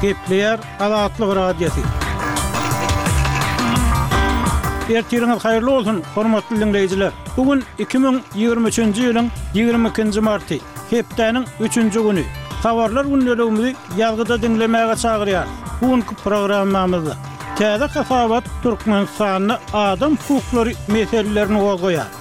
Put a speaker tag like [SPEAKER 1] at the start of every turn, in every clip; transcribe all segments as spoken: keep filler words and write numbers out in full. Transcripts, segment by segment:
[SPEAKER 1] Gepleýär Azatlyk Radiosy. Ertiriňiz haýyrly bolsun, hormatly diňleýjiler! Bu gün iki müň ýigrimi üçünji ýylyň ýigrimi ikinji marty, hepdäniň üçünji güni. Habarlar gündeligimizi ýazgyda diňlemäge çagyrýarys. Bu günki programmamyzda täze hasabat Türkmenistanda adam hukuklary meselelerini gozgaýar.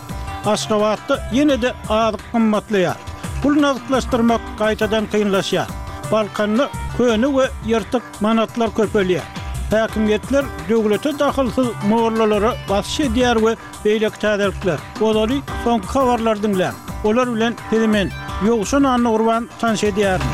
[SPEAKER 1] Aşgabatda ýene-de azyk gymmatlaýar. Pul nagtlaşdyrmak gaýtadan kynlaşýar. Balkanda köne we ýyrtyk manatlar köpelýär. Häkimiýetler döwlete dahylsyz mollalara basyş edýär we beýleki täzelikler. Ozaly soňky habarlary diňläň. Olar bilen sizi men, Ýowşan Annagurban tanyş edýärin.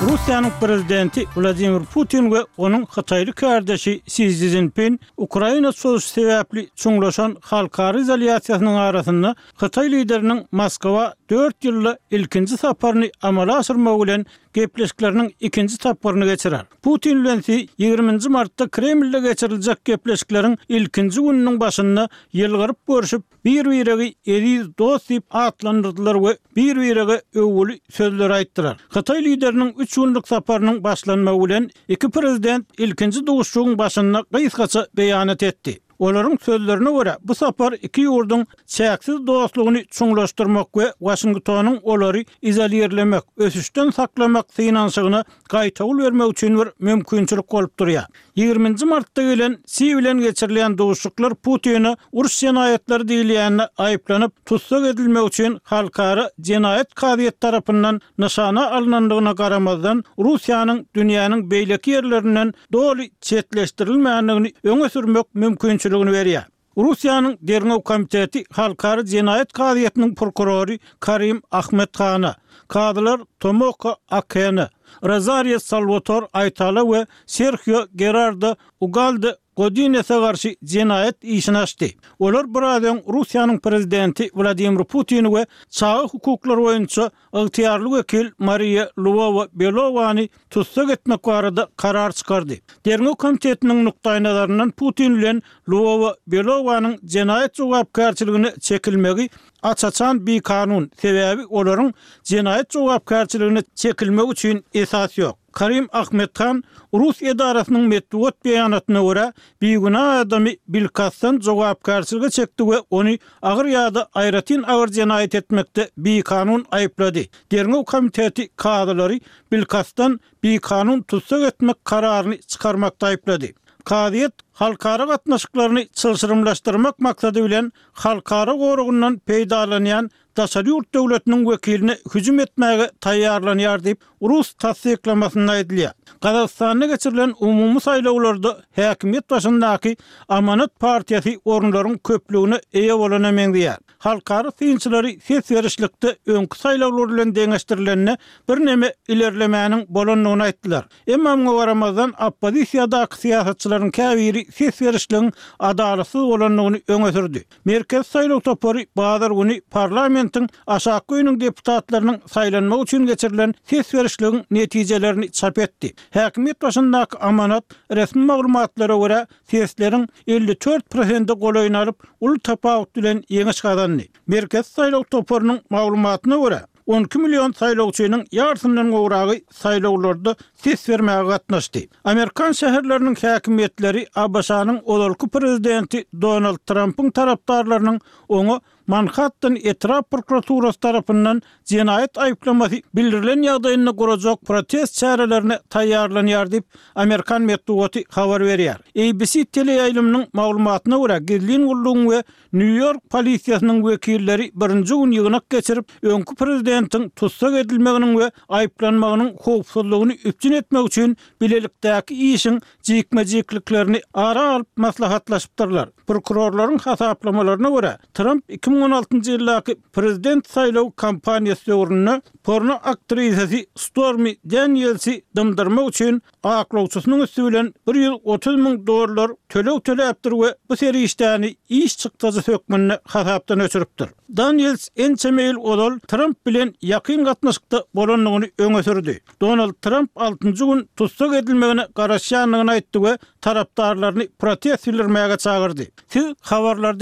[SPEAKER 1] Russiýanyň prezidenti Wladimir Putin we onuň hytaýly kärdeşi Si Szinpin Ukraina çozuşy sebäpli çuňlaşan halkara izolýasiýasynyň arasynda hytaý lideriniň Moskwa dört ýylda ilkinji saparyny amala aşyrmagy bilen gepleşikleriniň ikinji tapgyryny geçirer. Putin bilen Si ýigriminji martda Kremlde geçiriljek gepleşikleriň ilkinji gününiň başynda ýylgyryp görşüp, bir-biregi eziz dost diýip atlandyrdylar we bir-birege öwgüli sözleri aýtdylar. Hytaý lideriniň üç günlük saparynyň başlanmagy bilen iki prezident ilkinji duşuşygyň başynda gysgaça beýanat etdi. Olaryň sözlerine görä, bu sapar iki ýurduň çäksiz dostlugyny çuňlaşdyrmak we Waşingtonyň olary izolirlemek, ösüşden saklamak synanyşygyna gaýtawul bermek üçin bir mümkinçilik bolup durýar. Ýigriminji martda gelen Si bilen geçirilýän duşuşyklar Putine uruş jenaýatlary diýilýände aýyplanyp, tussag edilmegi üçin Halkara jenaýat kazyýeti tarapyndan nyşana alnandygyna garamazdan, Russiýanyň dünýäniň beýleki ýerlerinden doly çetleşdirilmändigini öňe sürmek mümkinçiligini berýär. Russiýanyň Derňew komiteti Halkara jenaýat kazyýetiniň prokurory Karim Ahmed Hana, kazylar Tomoko Akene, Rozario Salwator Aýtala we Serhio Gerardo Ugalde Godinese garşy jenaýat işini açdy. Olar biraz öň Russiýanyň prezidenti Wladimir Putini we çaga hukuklary boýunça ygtyýarly wekil Mariýa Lwowa-Belowany tussag etmek barada karar çykardy. Derňew komitetiniň nukdaýnazaryndan Putin bilen Lwowa-Belowanyň jenaýat jogapkärçiligine çekilmegi aç-açan bikanun, sebäbi olaryň jenaýat jogapkärçiligine çekilmegi üçin esas ýok. Karim Ahmethan rus edarasynyň metbugat beýanatyna görä, bigünä adamy bilkastdan jogapkärçilige çekdi we ony agyr ýa-da aýratyn agyr jenaýat etmekde bikanun aýyplady. Derňew komiteti kazylary bilkastdan bikanun tussag etmek kararyny çykarmakda aýyplady. Kazyýet halkara gatnaşyklaryny çylşyrymlaşdyrmak maksady bilen halkara goragyndan peýdalanýan daşary ýurt döwletiniň wekiline hüjüm etmäge taýýarlanýar diýip, rus tassyklamasynda aýdylýar. Gazagystanda geçirilen umumy saýlawlarda häkimiýet başyndaky Amanat partiýasy orunlaryň köplügine eýe bolana meňzeýär. Halkara synçylary ses berişlikde öňki saýlawlar bilen deňeşdirilende birneme ilerlemäniň bolandygyny aýtdylar. Emma muňa garamazdan, oppozisiýadaky syýasatçylaryň käbiri ses berişligiň adalatsyz bolandygyny öňe sürdi. Merkezi saýlaw topary bazar güni parlamentiň aşakky öýüniň deputatlarynyň saýlanmagy üçin geçirilen ses berişligiň netijelerini çap etdi. Häkimiýet başyndaky Amanat, resmi maglumatlara görä, sesleriň elli dört prosente golaýyny alyp, uly tapawut bilen ýeňiş gazandy. Merkezi saýlaw toparynyň maglumatyna görä, on iki million saýlawçynyň ýarysyndan gowragy saýlawlarda ses bermäge gatnaşdy. Amerikan şäherleriniň häkimiýetleri ABŞ-nyň ozalky prezidenti Donald Trampyň tarapdarlarynyň oňa Manhattan etrap prokuraturasy tarapyndan jenaýat aýyplamasy bildirilen ýagdaýynda gurajak protest çärelerine taýýarlanýar diýip, amerikan metbugaty habar berýär. A B C teleýaýlymynyň maglumatyna görä, gizlin gullugyň we Nýu-Ýork polisiýasynyň wekilleri birinji gün ýygnak geçirip, öňki prezidentiň tussag edilmeginiň we aýyplanmagynyň howpsuzlygyny üpjün etmek üçin bilelikdäki işiň jikme-jikliklerini ara alyp maslahatlaşypdyrlar. Prokurorlaryň hasaplamalaryna görä, Tramp iki müň on altynjy ýyldaky prezident saýlaw kampaniýasy döwründe porno aktrisasy Stormi Danielsi dymdyrmak üçin aklawçysynyň üsti bilen bir ýüz otuz müň dollar töleg töläpdir we bu serişdäni iş çykdajysy hökmünde hasapdan öçüripdir. Daniels ençeme ýyl ozal Tramp bilen ýakyn gatnaşykda bolandygyny öňe sürdi. Donald Tramp altynjy gün tussag edilmegine garaşýandygyny aýtdy we tarapdarlaryny protest bildirmäge çagyrdy. Siz habarlary diňläp.